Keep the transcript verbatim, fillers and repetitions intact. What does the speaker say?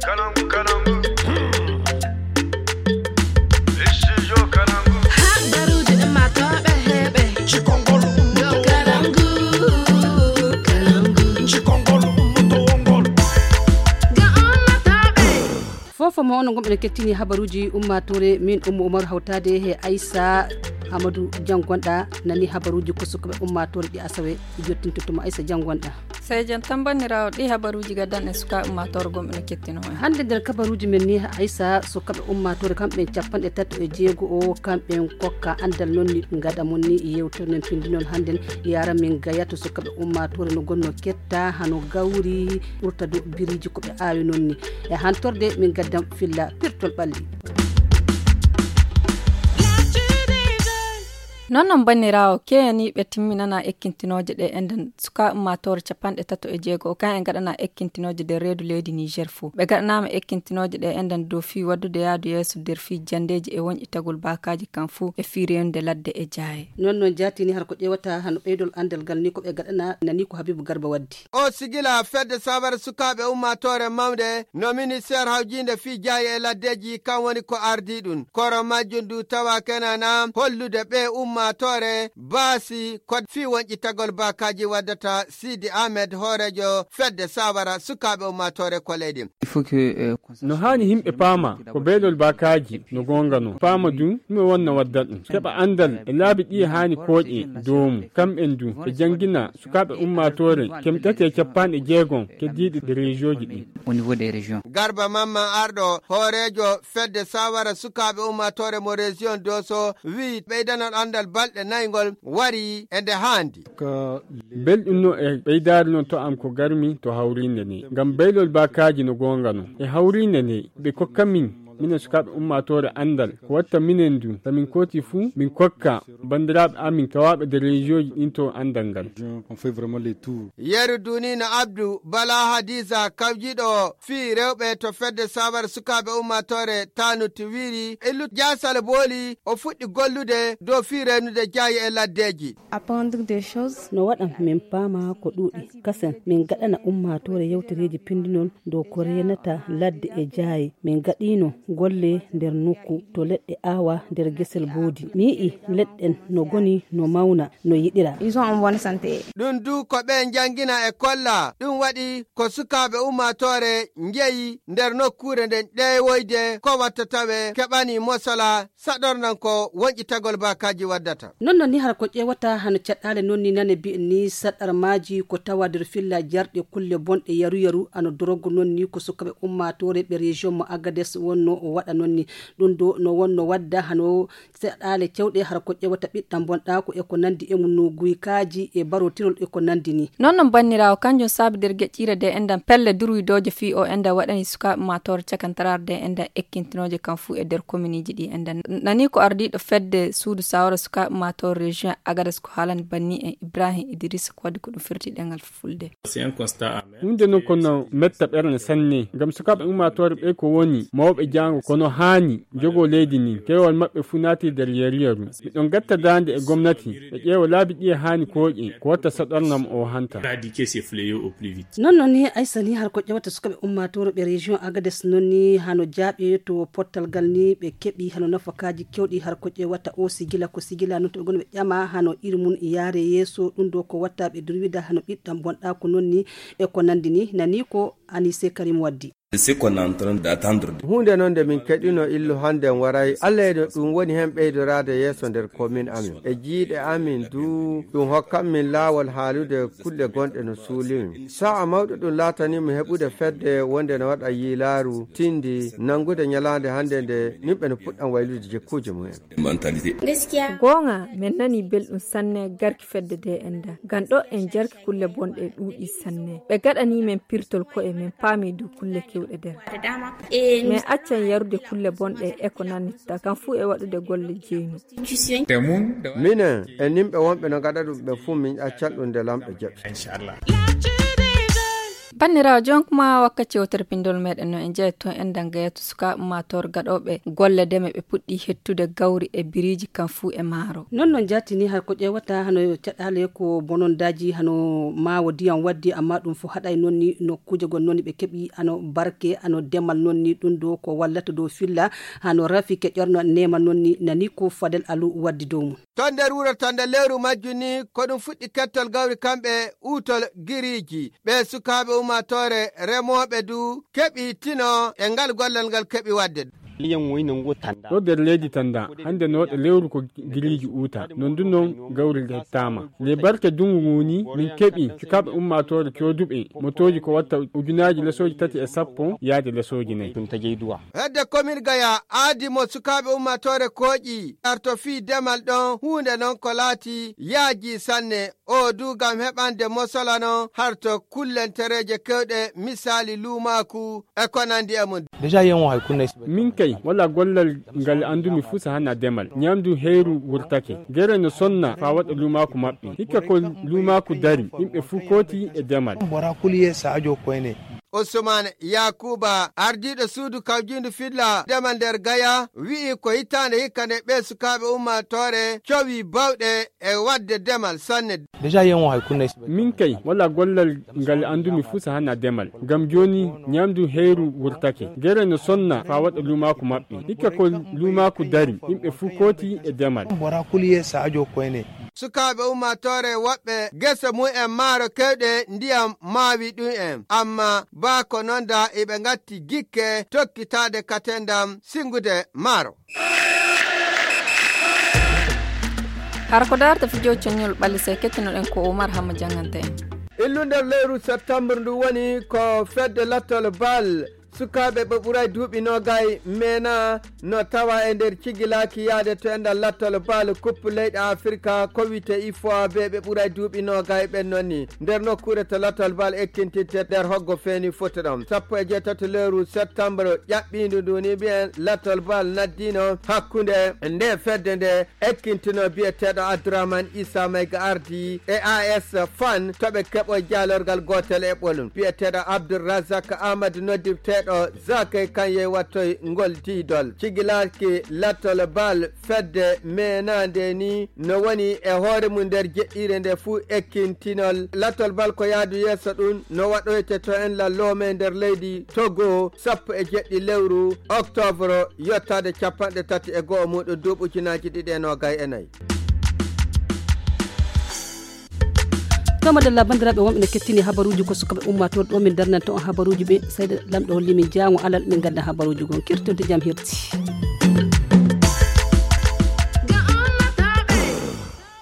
Habaruuji ummaatooɓe heɓe. Cikongol ummaatooɓe. Kalangu, kalangu. Cikongol ummaatooɓe. Ga ummaatooɓe. Fofo mo onon gomɓe no kettini habaruuji ummaatoore, min Ummu Umaru hawtaade he Aysa Amadou Janngonɗa nani habaruuji ko sukaaɓe ummaatoore ɗi asawe. Jottinto tuma Aysa Janngonɗa. Sey jam tan banndiraawo, ɗi habaruuji gaddan e sukaaɓe ummaatoore gomɓe no kettino en. Hannde nder kabaruuji men ni Aysa, sukaaɓe ummaatoore kamɓe capanɗe tato e jeego o, kamɓe kokka anndal non ni gaɗa mon ni yewtere men pinndinol hannden. Yara min gaya to sukaaɓe ummaatoore no gonno ketta hano gawri ɓurta do biriiji ko ɓe aawi non ni. E hantorde min gaddan filla pirtol ɓalli. Non non banndiraawo, keyaniiɓe timminana ekkintinooje ɗe enden sukaaɓe ummaatoore capanɗe tato e jeego o kan en gaɗana ekkintinooje nder reedu leydi Niger fof. Ɓe gaɗanaama ekkintinooje ɗe enden dow fii waddude yaadu yeeso nder fii janndeeji e wonƴitagol baakaaji kan fof e fii reenude ladde e jaaye. Non non jaatini har ko ƴeewata hano ɓeydol anndal ngal ni ko ɓe gaɗana nani ko Habibu Garba waddi. O sigila fedde sawara sukaaɓe ummaatoore mawnde no ministeer hawjiinde fii jaaye e laddeeji kan woni ko ardii ɗum. Koro majjum du tawa kenana hollude ɓe ummaatoore baasi ko fii wonƴitagol baakaaji waddata. Sidi Ahmed hooreejo fedde sawara sukaaɓe ummaatoore ko leydi. No haani yimɓe paama ko beelol baakaaji no goonga no paama du ɗum e wonna wadda ɗum keɓa anndal e laabi ɗi e haani kooƴe doomu kamɓen du ɓe janngina sukaaɓe ummaatoore kemtati e capanɗe jeegom keddiiɗi ɗi rejooji ɗi. Au niveau des régions. Garba Mamman Arɗo, hooreejo fedde sawara sukaaɓe ummaatoore mo région Doso, wi'i ɓeydanol anndal balɗe nayi ngol wari e nde haandi. Belɗum no e ɓeydaari non to am ko garmi to hawriinde nde. Ngam beylol baakaaji no goonga non. E hawriinde nde, ɓe kokka min, minen sukaaɓe ummaatoore anndal. Ko watta minen du, so min kooti fuu, min kokka banndiraaɓe amin tawaaɓe nder rejooji ɗin to anndal ngal. Yeru Dunina Abdu, Bala Hadiza, kawjiiɗo fii rewɓe to fedde sawara sukaaɓe ummaatoore Tanut wiiri, Illu Jaasal Booli, o fuɗɗi gollude dow fii reenude jaaye e laddeeji. Apprendre des choses. No waɗan min paama ko ɗuuɗi. Kasen, min gaɗana ummaatoore yewtereeji pinndinol dow ko reenata ladde e jaaye. Min gaɗiino golle nder nokku to leɗɗe aawa nder gesel boodi. Mi yi'i leɗɗen no goni no mawna, no yiɗira. Ils ont en bonne santé. Ɗum du ko ɓe njanngina e kolla. Ɗum waɗi ko sukaaɓe ummaatoore njeyi nder nokkuure nden ƴeewoyde ko watta tawe keɓani mosala saɗornan ko wonƴitagol baakaaji waddata. Non non ni hara ko ƴeewata hano caɗɗaale non ni nane bi'en ni saɗɗar maaji ko tawa nder filla jarɗe kulle bonɗe yaru yaru ano dorogu non ni ko sukaaɓe ummaatoore ɓe région mo Agades wonno o waɗa non ni. Ɗum do no wonno wadda hano saɗɗaale cewɗe hara ko ƴeewata ɓiɗɗam bonɗaaku e ko nandi e mum no guykaaji e barotirol e ko nandi ni. Non non banndiraawo kanjum saabi nder geƴƴiire de enɗan pelle durwidooje fii o enɗan waɗani sukaaɓe ummaatoore cakantaraare de enɗan ekkintinooje kam fuu e nder kominiji ɗi enɗan. Nani ko ardiiɗo fedde suudu sawara sukaaɓe ummaatoore région Agades ko haalani banni en Ibrahim Idrissa ko waddi ko ɗum firti ɗengal fulfulde. Huunde non ko no metta ɓernde sanne ngam sukaaɓe ummaatoore ɓe ko woni mawɓe jaango kono haani jogo leydi ndin keewal maɓɓe fuu naati nder yeru yeru. Miɗon gatta daande e gomnati ɓe ƴeewa laabi ɗi e haani kooƴe ko watta saɗornam o hanta. Non non ni Aysa ni har ko ƴeewata sukaaɓe ummaatoore ɓe région Agades non ni hano jaaɓe to pottal ngal ni ɓe keɓi hano nafakaaji kewɗi har ko ƴeewata o sigila ko sigila non to ɓe goni ɓe ƴama hano iri mum yaare yeeso ɗum ɗo ko watta ɓe durwida hano ɓiɗɗam bonɗaaku non ni e ko nandi ni nani ko Anise Karim waddi. Huunde non nde min keɗino illu hannden waray Allah e no ɗum woni heen ɓeydoraade yeeso nder komin amin e jiiɗe amin duu ɗum hokkan min laawol haalude kulle gonɗe no suulimin. Sa'a mawɗo ɗum laatanii mo heɓude fedde wonde no waɗa yiilaaru tindi nanngude ñalaande hannde nde yimɓe no puɗɗan waylude jikkuuji mumen. Goonga, men nanii belɗum sanne garki fedde D N D. Ngam ɗo en jarki kulle bonɗe ɗuuɗii sanne. Ɓe gaɗanii men pirtol ko'e, men paamii du kulle keewɗe nder. Men accan yarude kulle bonɗe e ko nannitta kam fuu e waɗude golle jeynu. Minen e nimɓe wonɓe no ngaɗa ɗum ɓe fuu min accan ɗum nde Laamɗo jaɓi. Banndiraawo, jonkuma wakkati yewtere pinndol meɗen no en jeeya toon en dannga yetto sukaaɓe ummaatoore gaɗooɓe golle deme ɓe puɗɗi hettude gawri e biriiji kam fuu e maaro. Noon noon jaatini har ko ƴeewata hano caɗaale ko bonondaaji hano maawo diyam waddi, amma ɗum fof haɗay noon ni nokkuuje gon noon ni ɓe keɓi hano barke hano demal noon ni ɗum ɗo ko wallata dow filla hano rafike ƴorno neema noon ni nani ko Fadel Alu waddi dow mum. To nder wuro to nde lewru majju ni ko ɗum fuɗɗi kettol gawri kamɓe uutol giriiji. Ɓe sukaaɓe ummaatoore remooɓe du keɓi tino e ngal gollal ngal keɓi waɗde. Ɗo nder leydi Tannda, hannde nooɗo lewru ko giriiji uuta, noon du noon gawri lettaama. Le barke dunngu ngu ni, min keɓi sukaaɓe ummaatoore cooduɓe motooji ko watta ujunaaji lesooji tati e sappo yaade lesooji nayi. Hedde komin Gaya aadi mo sukaaɓe ummaatoore kooƴi arto fii demal ɗon huunde non ko laati yaaji sanne. O du ngam heɓande mosola non harto kullentereeje kewɗe, misaali luumaaku e ko nandi e mum. Déjà, yen wo hay kunne. Min kay, wala gollal ngal anndumi fuu so hana demal. Ñamdu heyru wurtake. Gere no sonna faa waɗa luumaaku maɓɓe. Hikka ko luumaaku dari, yimɓe fuu kooti e demal. Bora kuliye saajo koyne. Usman Yakuba, ardiiɗo suudu kawjiindu filla demal nder Gaya, wi'i ko hitaande hikka nde ɓee sukaaɓe ummaatoore cowi bawɗe e waɗde demal sanne. Déjà, yen wo hay kunne. Min kay, wala gollal ngal anndumi fuu so hana demal. Ngam jooni, ñamdu heyru wurtake. Gere no sonna faa waɗa luumaaku maɓɓe. Hikka ko luumaaku dari, yimɓe fuu kooti e demal. Bora kuliye saajo koyne. Sukaaɓe ummaatoore woɓɓe gese mum en maaro kewɗe ndiyam maawi ɗum en. Amma baa ko noon da iɓe ngatti gikke tokkitaade katendam singude maaro. Hara ko daarta fijo coñol ɓalli se kettinoɗen ko Oumar Hamma jannganta en. Illu nder lewru septembre ndu woni ko fedde lattol bal sukaaɓe ɓe ɓuray duuɓi noogay meena no tawa e nder cigilaaki yaade to enɗal lattol bal coupe leyɗe Afirka ko wiyte ifoa be ɓe ɓuray duuɓi noogay ɓen noon ni nder nokkuure to lattol bal ekkintitte nder hoggo feeni foti ɗon sappo e jeetato lewru septembre ƴaɓɓiindu ndu ni mbiyen lattol bal naddino hakkunde nde fedde nde ekkintinoo biyeteeɗo Abdourahmane Issa Maïga Ardi e A S Fan to ɓe keɓo jaalorgal gootel e ɓolum. Biyeteeɗo Abdoul Razak Amadou noddirteeɗo Zakay Kanye wattoy ngol diidol. Cigilaaki lattol bal fedde meenaande ni no woni e hoore mum nder jeɗɗiire nde fuu ekkintinol. Lattol bal ko yaadu yeeso ɗum no waɗoyte to en la loome nder leydi Togo sappo e jeɗɗi lewru octobre yottaade capanɗe tati e go'o muɗum duuɓi ujunaaji ɗiɗi e noogay e nayi. Tomadalla banndiraaɓe wonɓe ne kettini habaruuji ko sukaɓe ummaatoon ɗo min darnan toon habaruuji ɓe sayda lamɗo holli min jaango alal min ngadda habaruuji gon kirtode jam hirti.